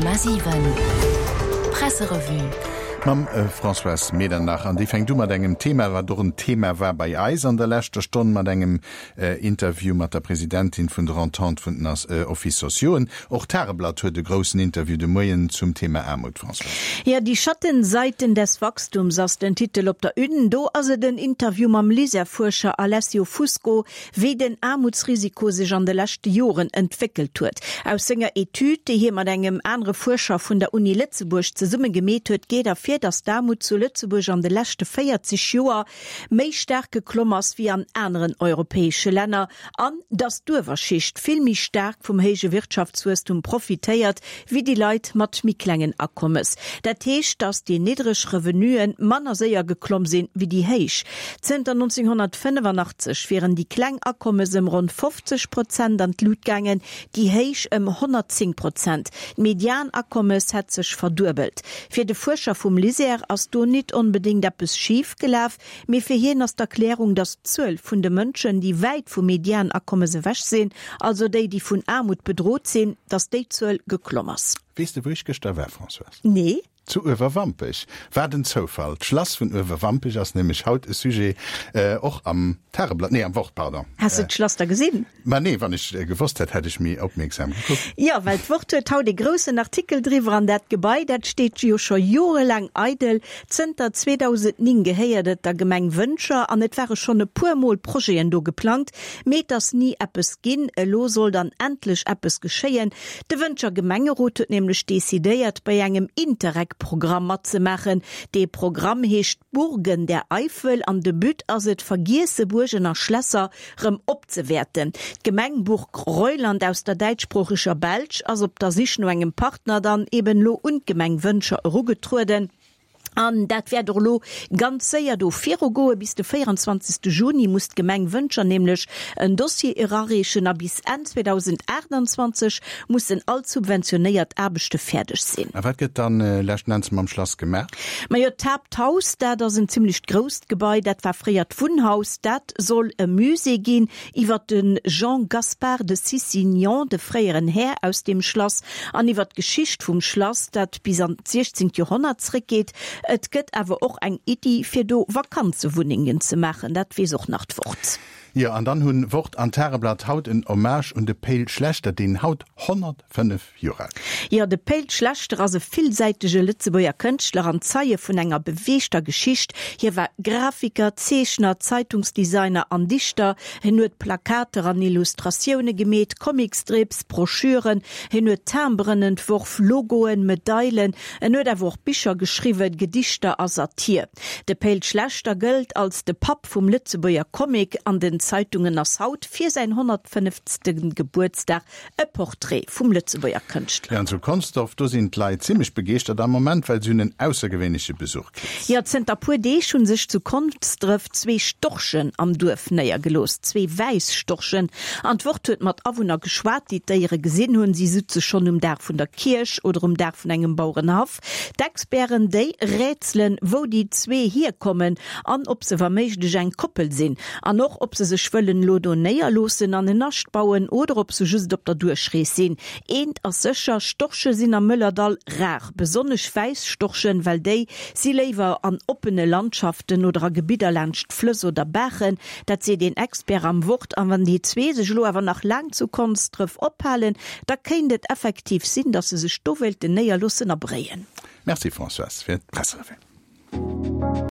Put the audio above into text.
100,7 Presserevue. Mam Françoise Medernach. An déi fänkt u mat engem Thema, wat och en Thema war bei eis an der leschter Stonn, mat engem Interview mat der Presidentin vun der Entente vun den Offices sociauxen. Och d'Tageblatt huet e groussen Interview de Moien zum Thema Aarmut, Françoise. Jo, Die Schattenseiten des Wachstums ass den Titel op der Une. Do ass et en Interview mam LISER-Fuerscher Alessio Fusco, wéi den Aarmutsrisiko sech an de leschte Joren entwéckelt huet. Aus senger Etüd, déi hie mat engem anere Fuerscher vun der Uni Lëtzebuerg zesumme gemeet huet, geet ervir, datt d'Aarmut zu Lëtzebuerg an de leschte 40 Joer méi staark geklomm ass wéi an aneren europäesche Länner an datt d'Uewerschicht vill méi staark vum héije Wirtschaftswuesstum profitéiert wéi déi Leit mat méi klengen Akommes. Dat heescht, datt déi niddreg Revenuen manner séier geklomm sinn wéi déi héich. Zënter 1985 wieren déi kleng Akommes ëm ronn 50 Prozent an d'Lut gaangen, déi héich ëm 110 Prozent. D'Medianakommes hätt sech verduebelt. Fir de Fuerscher vum LISER ass do nit onbedéngt eppes schif gelaf, mee fir hien ass d'Erklärung, datt d'Zuel vun de Mënschen, déi wäit vum Medianakommes ewech sinn, also déi, déi vun Aarmut bedrot sinn, datt déi Zuel geklomm ass. Weess de wou ech gëschter war, Françoise? Nee. Zu Uewerwampech. Wat en Zoufall! D'Schlass vun Uewerwampech ass nämlech haut e Sujet, och am Tageblatt, nee am Wort, pardon. Has de d'Schlass da gesinn? Ma nee, wann ech gewosst hätt, hätt ech méi opmierksam gekuckt. Jo, well d'Wort huet haut e groussen Artikel driwwer an dat Gebai, dat steet jo scho jorelaang eidel. Zënter 2009 gehéiert et der Gemeng Wëntger an et ware schonn e puer Mol Projeten do geplangt, mee et ass ni eppes ginn. Elo soll dann endlech eppes geschéien. De Wëntger Gemengerot huet nämlech decidéiert, bei engem Interreg-Programm matzemaachen. Dee Programm heescht Burgen der Eifel an de But ass et, vergiesse Buergen a Schlässer rëm opzewäerten. D'Gemeng Burg-Reuland aus der däitschsproocheger Belsch ass op der Sich no engem Partner dann eben elo un d'Gemeng Wëntger erugetrueden. An dat wäert och elo ganz séier do virugoen. Bis de 24. Juni muss d'Gemeng Wëntger nämlech en Dossier erareechen a bis Enn 2028 mussen all d'subventionéiert Aarbechte fäerdeg sinn. A wat gëtt dann leschten Enns mam Schlass gemaach? Majo, d'Haapthaus, dat ass en zimmlecht grousst Gebai, dat war fréier d'Wunnhaus. Dat soll e Musée ginn iwwer de Jean Gaspard de Cicignon, de fréieren Här aus deem Schlass, an iwwer d'Geschicht vum Schlass, dat bis an d'siechzéngt Joerhonnert zréckgeet. Et gëtt awer och eng Iddi, fir do Vakanzewunnengen ze maachen, dat weess och nach d'Wort. Jo, an dann hunn Wort an Tageblatt haut en Hommage un de Pe'l Schlechter, deen haut 105 Joer al gëtt. Jo, de Pe'l Schlechter ass e villsäitege Lëtzebuerger Kënschtler an Zeie vun enger beweegter Geschicht. Hie war Grafiker, Zeechner, Zeitungsdesigner an Dichter. Hien huet Plakater an Illustratioune gemeet, Comicstrips, Broschüren, hien huet Timberen entworf, Logoen, Medailen, en huet awer och Bicher geschriwwen, Gedichter a Satir. De Pe'l Schlechter gëllt als de Papp vum Lëtzebuerger Comic. An den Zeitungen ass haut fir säin 150. Gebuertsdag e Portrait vum Lëtzebuerger Kënschtler. Jo, an zu Consdorf, do sinn d'Leit zimmlech begeeschtert am Moment, well se hunn en aussergewéinleche Besuch kritt. Jo, zënter puer Deeg hu sech zu Konsdref zwee Storchen am Duerf néiergelooss. Zwee wäiss Storchen. An d'Wort huet mat Awunner geschwat, déi d'Déiere gesinn hunn. Si sutze schonn um Daach vun der Kierch oder um Daach vun engem Bauerenhaff. D'Experten, déi rätselen, wou déi zwee hierkommen an ob se wa méiglech eng Koppel sinn. An och, ob se sech wëllen elo do néierloossen an en Nascht bauen oder ob se just op der Duerchrees sinn. Eent ass sécher, Storche sinn am Mëllerdall rar. Besonnesch wäiss Storchen, well déi si léiwer an oppene Landschaften oder a Gebidder laanscht Flëss oder Baachen. Dat seet een Expert am Wort. An wann déi zwee sech elo awer nach laang zu Konsdref ophalen, da kéint et effektiv sinn, datt se sech do wéilten néierloossen a bréien. Merci Françoise fir d'Presserevue.